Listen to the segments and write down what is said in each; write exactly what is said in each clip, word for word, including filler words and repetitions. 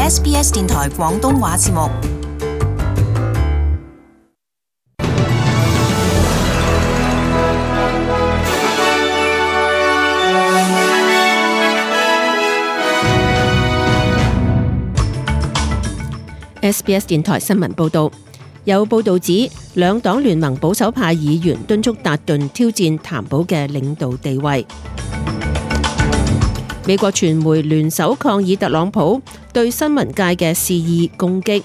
S B S 電台廣東話節目。S B S 電台新聞報道，有報道指兩黨聯盟保守派議員敦促達頓挑戰譚寶嘅領導地位。美國傳媒聯手抗議特朗普對新聞界嘅肆意攻擊。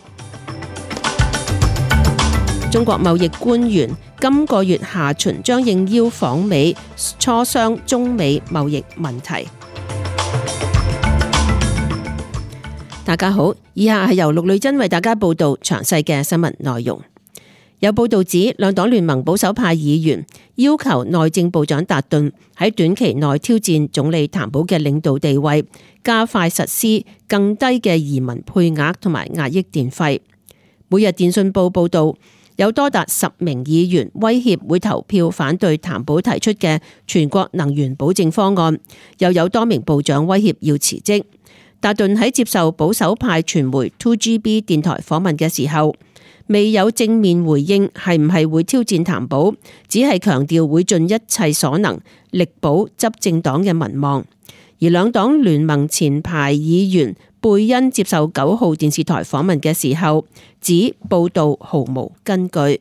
中國貿易官員今個月下旬將應邀訪美磋商中美貿易問題。大家好，以下係由陸女真為大家報道詳細嘅新聞內容。有報道指，兩黨聯盟保守派議員要求內政部長達頓喺短期內挑戰總理譚寶嘅領導地位，加快實施更低嘅移民配額同埋壓抑電費。每日電訊報報道，有多達十名議員威脅會投票反對譚寶提出嘅全國能源保證方案，又有多名部長威脅要辭職。達頓喺接受保守派傳媒 two G B 電台訪問嘅時候，未有正面回應係唔係會挑戰譚寶，只係強調會盡一切所能力保執政黨嘅民望。而兩黨聯盟前排議員貝恩接受九號電視台訪問嘅時候，指報道毫無根據。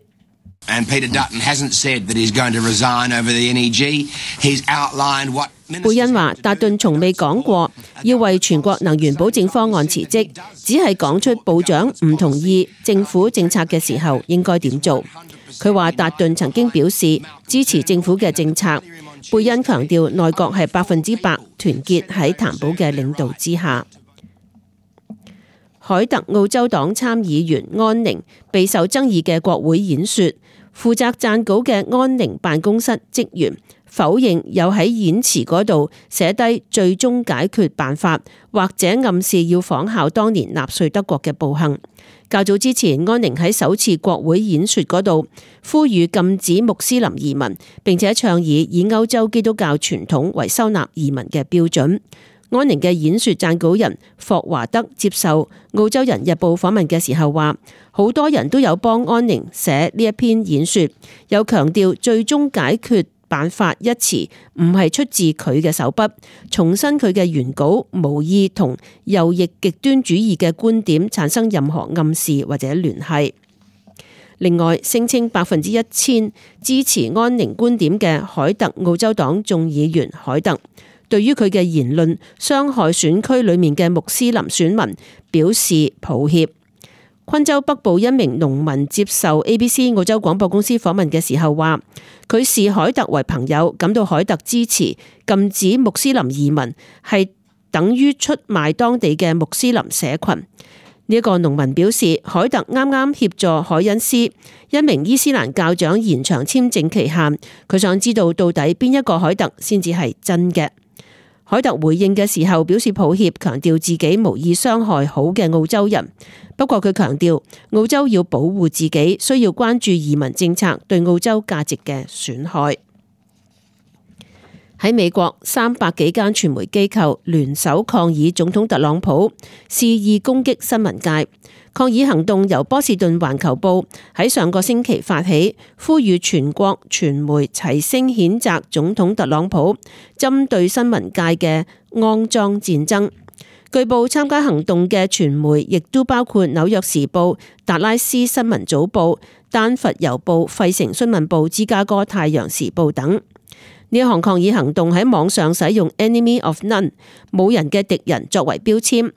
And Peter Dutton hasn't said that he's going to resign over the N E G. He's outlined what 貝恩話，達頓從未講過要為全國能源保證方案辭職，只係講出部長唔同意政府政策嘅時候應該點做。佢話達頓曾經表示支持政府嘅政策。貝恩強調內閣係百分之百團結喺譚寶嘅領導之下。凱特澳洲黨參議員安寧備受爭議嘅國會演說，負責撰稿嘅安寧辦公室職員否認有喺演辭嗰度寫低最終解決辦法，或者暗示要仿效當年納粹德國嘅暴行。較早之前，安寧喺首次國會演說嗰度呼籲禁止穆斯林移民，並且倡議以歐洲基督教傳統為收納移民嘅標準。安寧嘅演說撰稿人霍華德接受澳洲人日報訪問嘅時候話，好多人都有幫安寧寫呢一篇演說，又強調最終解決辦法一詞唔係出自佢嘅手筆，重申佢嘅原稿無意同右翼極端主義嘅觀點產生任何暗示或者聯繫。另外，聲稱百分之一千支持安寧觀點嘅凱特澳洲黨眾議員凱特，對於佢嘅言論傷害選區裏面嘅穆斯林選民表示抱歉。昆州北部一名農民接受 A B C 澳洲廣播公司訪問嘅時候話，佢視凱特為朋友，感到凱特支持禁止穆斯林移民係等於出賣當地嘅穆斯林社群。呢、這、一個農民表示，凱特啱啱協助凱恩斯一名伊斯蘭教長延長簽證期限，佢想知道到底邊一個凱特先至係真嘅。凱特回應嘅時候表示抱歉，強調自己無意傷害好嘅澳洲人。不過佢強調澳洲要保護自己，需要關注移民政策對澳洲價值嘅損害。喺美國，三百幾間傳媒機構聯手抗議總統特朗普肆意攻擊新聞界。抗議行動由波士頓環球報喺上個星期發起，呼籲全國傳媒齊聲譴責總統特朗普針對新聞界嘅骯髒戰爭。據報參加行動嘅傳媒亦都包括紐約時報、達拉斯新聞早報、丹佛郵報、費城新聞報、芝加哥太陽時報等。呢項抗議行動喺網上使用 Enemy of None 冇人嘅敵人作為標籤。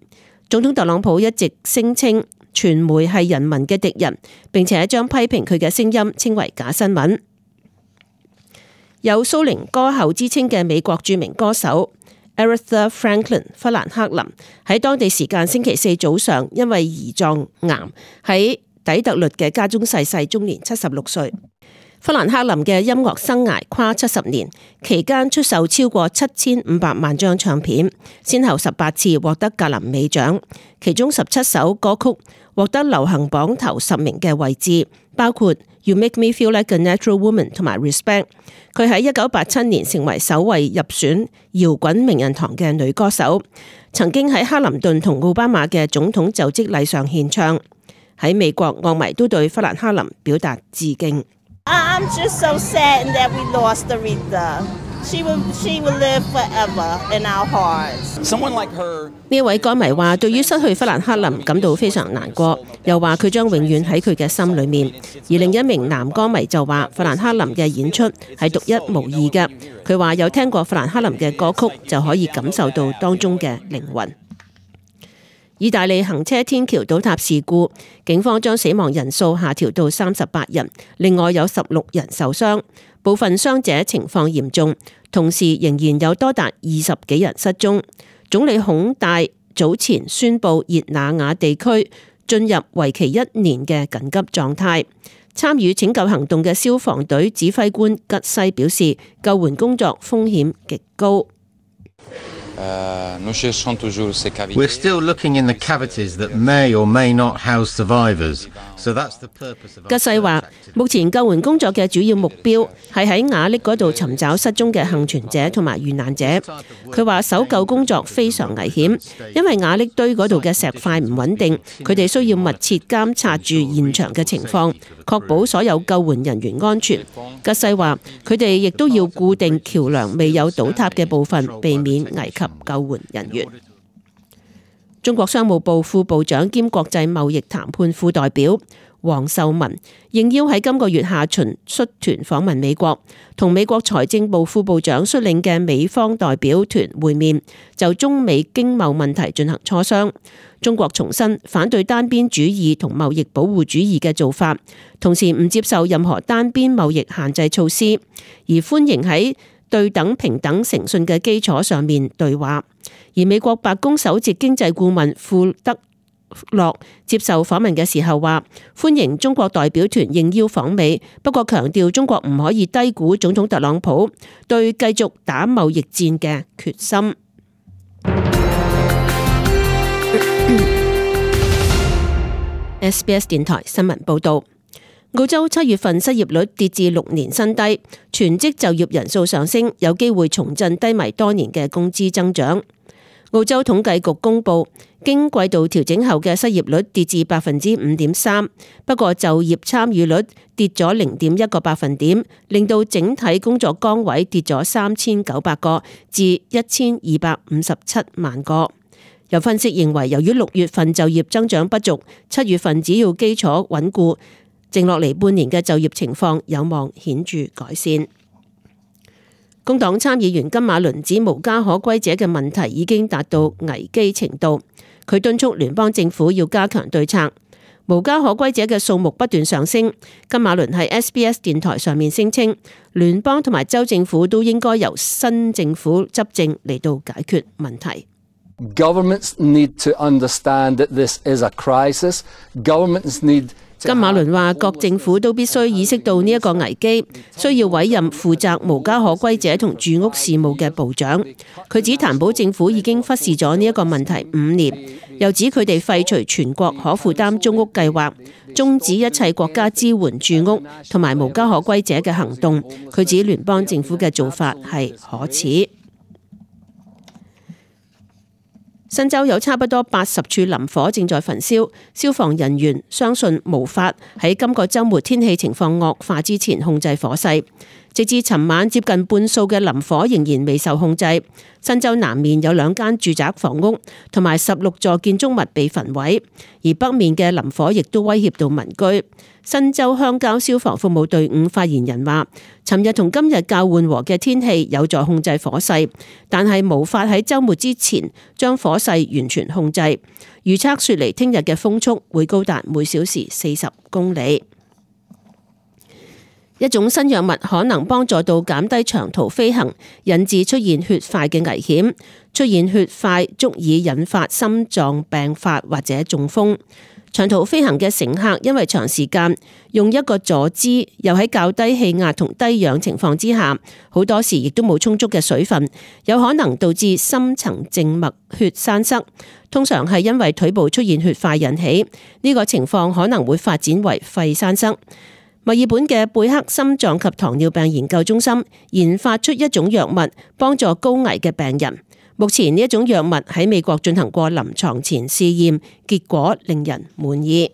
總統特朗普一直聲稱傳媒係人民嘅敵人，並且將批評佢嘅聲音稱為假新聞。有蘇寧歌后之稱嘅美國著名歌手 Aretha Franklin 弗蘭克林喺當地時間星期四早上因為胰臟癌喺底特律嘅家中逝世，終年七十六歲。弗蘭克林嘅音樂生涯跨七十年，期間出售超過七千五百萬張唱片，先後十八次獲得格林美獎，其中十七首歌曲獲得流行榜頭十名嘅位置，包括 You Make Me Feel Like a Natural Woman 同埋 Respect。佢喺一九八七年成為首位入選搖滾名人堂嘅女歌手，曾經喺克林頓同奧巴馬嘅總統就職禮上獻唱。喺美國，樂迷都對弗蘭克林表達致敬。I'm just so sad that we lost Aretha. She will, she will live forever in our hearts. Someone like her. 呢位歌迷話，對於失去弗蘭克林感到非常難過，又話佢將永遠喺佢嘅心裏面。而另一名男歌迷就話，弗蘭克林嘅演出係獨一無二嘅。佢話有聽過弗蘭克林嘅歌曲，就可以感受到當中嘅靈魂。意大利行車天橋倒塌事故，警方將死亡人數下調到三十八人，另外有十六人受傷，部分傷者情況嚴重，同時仍然有多達二十幾人失蹤。總理孔戴早前宣布熱那亞地區進入為期一年嘅緊急狀態。參與拯救行動嘅消防隊指揮官吉西表示，救援工作風險極高。We're still looking in the cavities that may or may not house survivors. So that's the purpose of. 吉西話：目前救援工作嘅主要目標係喺瓦礫嗰度尋找失蹤嘅幸存者同埋遇難者。佢話搜救工作非常危險，因為瓦礫堆嗰度嘅石塊唔穩定，佢哋需要密切監察住現場嘅情況，確保所有救援人員安全。吉西話：佢哋亦都要固定橋梁未有倒塌嘅部分，避免危及救援人員。中國商務部副部長兼國際貿易談判副代表黃秀文應邀喺今個月下旬率團訪問美國，同美國財政部副部長率領嘅美方代表團會面，就中美經貿問題進行磋商。中國重申反對單邊主義同貿易保護主義嘅做法，同時唔接受任何單邊貿易限制措施，而歡迎喺對等、平等、誠信嘅基礎上面對話。而美國白宮首席經濟顧問庫德洛接受訪問嘅時候話，歡迎中國代表團應邀訪美，不過強調中國唔可以低估總統特朗普對繼續打貿易戰嘅決心。S B S 電台新聞報道。澳洲七月份失業率跌至六年新低，全職就業人數上升，有機會重振低迷多年嘅工資增長。澳洲統計局公布，經季度調整後嘅失業率跌至百分之五點三，不過就業參與率跌咗零點一個百分點，令到整體工作崗位跌咗三千九百個至一千二百五十七萬個。有分析認為，由於六月份就業增長不足，七月份只要基礎穩固，剩落嚟半年嘅就業情況有望顯著改善。工黨參議員金馬倫指無家可歸者嘅問題已經達到危機程度，佢敦促聯邦政府要加強對策。無家可歸者嘅數目不斷上升，金馬倫喺 S B S 電台上面聲稱，聯邦同埋州政府都應該由新政府執政嚟到解決問題。Governments need to understand that this is a crisis. Governments need金馬倫話：各政府都必須意識到呢一個危機，需要委任負責無家可歸者同住屋事務嘅部長。佢指譚寶政府已經忽視咗呢一個問題五年，又指佢哋廢除全國可負擔租屋計劃，終止一切國家支援住屋同埋無家可歸者嘅行動。佢指聯邦政府嘅做法係可恥。新州有差不多八十處林火正在焚燒，消防人員相信無法喺今個週末天氣情況惡化之前控制火勢。直至尋晚，接近半數嘅林火仍然未受控制。新州南面有兩間住宅房屋同埋十六座建築物被焚毀，而北面嘅林火亦都威脅到民居。新州鄉郊消防服務隊伍發言人話，尋日同今日較緩和嘅天氣有助控制火勢，但係無法喺週末之前將火勢完全控制。預測雪梨聽日嘅風速會高達每小時四十公里。一種新藥物可能幫助到減低長途飛行引致出現血塊嘅危險，出現血塊足以引發心臟病發或者中風。長途飛行嘅乘客因為長時間用一個坐姿，又喺較低氣壓同低氧情況之下，好多時亦都冇充足嘅水分，有可能導致深層靜脈血栓塞。通常係因為腿部出現血塊引起，呢個情況可能會發展為肺栓塞。墨爾本嘅貝克心臟及糖尿病研究中心研發出一種藥物，幫助高危嘅病人。目前呢一種藥物喺美國進行過臨床前試驗，結果令人滿意。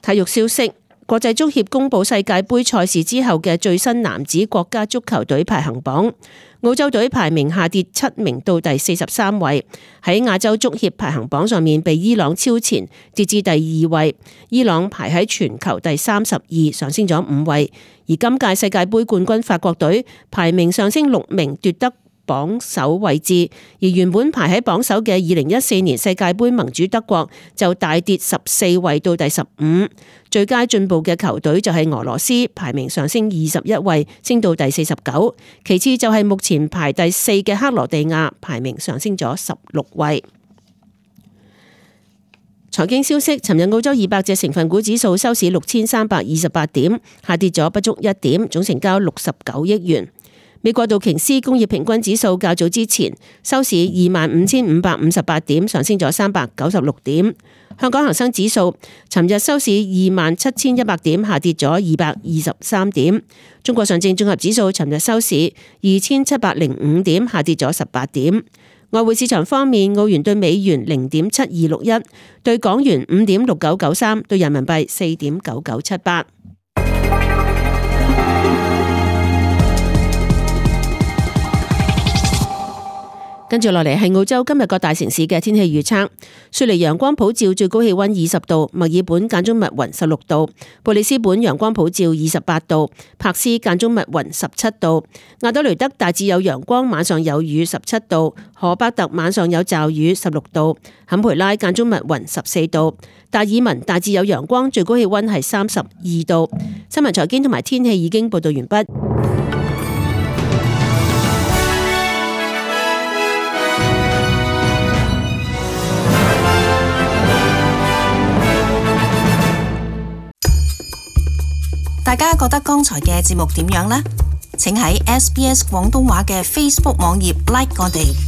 體育消息：國際足協公布世界盃賽事之後嘅最新男子國家足球隊排行榜，澳洲隊排名下跌七名到第四十三位，喺亞洲足協排行榜上面被伊朗超前，跌至第二位。伊朗排喺全球第三十二，上升咗五位。而今屆世界盃冠軍法國隊排名上升六名，奪得榜首位置，而原本排喺榜首嘅二零一四年世界盃盟主德國就大跌十四位到第十五。最佳進步嘅球隊就係俄羅斯，排名上升二十一位，升到第四十九。其次就係目前排第四嘅克羅地亞，排名上升咗十六位。財經消息：尋日澳洲二百隻成分股指數收市六千三百二十八點，下跌咗不足一點，總成交六十九億元。美國道瓊斯工業平均指數較早之前收市二萬五千五百五十八點，上升咗三百九十六點。香港恒生指數尋日收市二萬七千一百點，下跌咗二百二十三點。中國上證綜合指數尋日收市二千七百零五點，下跌咗十八點。外匯市場方面，澳元對美元零點七二六一，對港元五點六九九三，對人民幣四點九九七八。跟住落嚟係澳洲今日各大城市嘅天氣預測。雪梨陽光普照，最高氣溫二十度；墨爾本間中密雲十六度；布里斯本陽光普照二十八度；柏斯間中密雲十七度；亞德雷德大致有陽光，晚上有雨十七度；荷伯特晚上有驟雨十六度；坎培拉間中密雲十四度；達爾文大致有陽光，最高氣溫係三十二度。新聞財經同埋天氣已經報道完畢。大家覺得剛才嘅節目點樣呢？請喺 S B S 廣東話嘅 Facebook 網頁 like 我哋。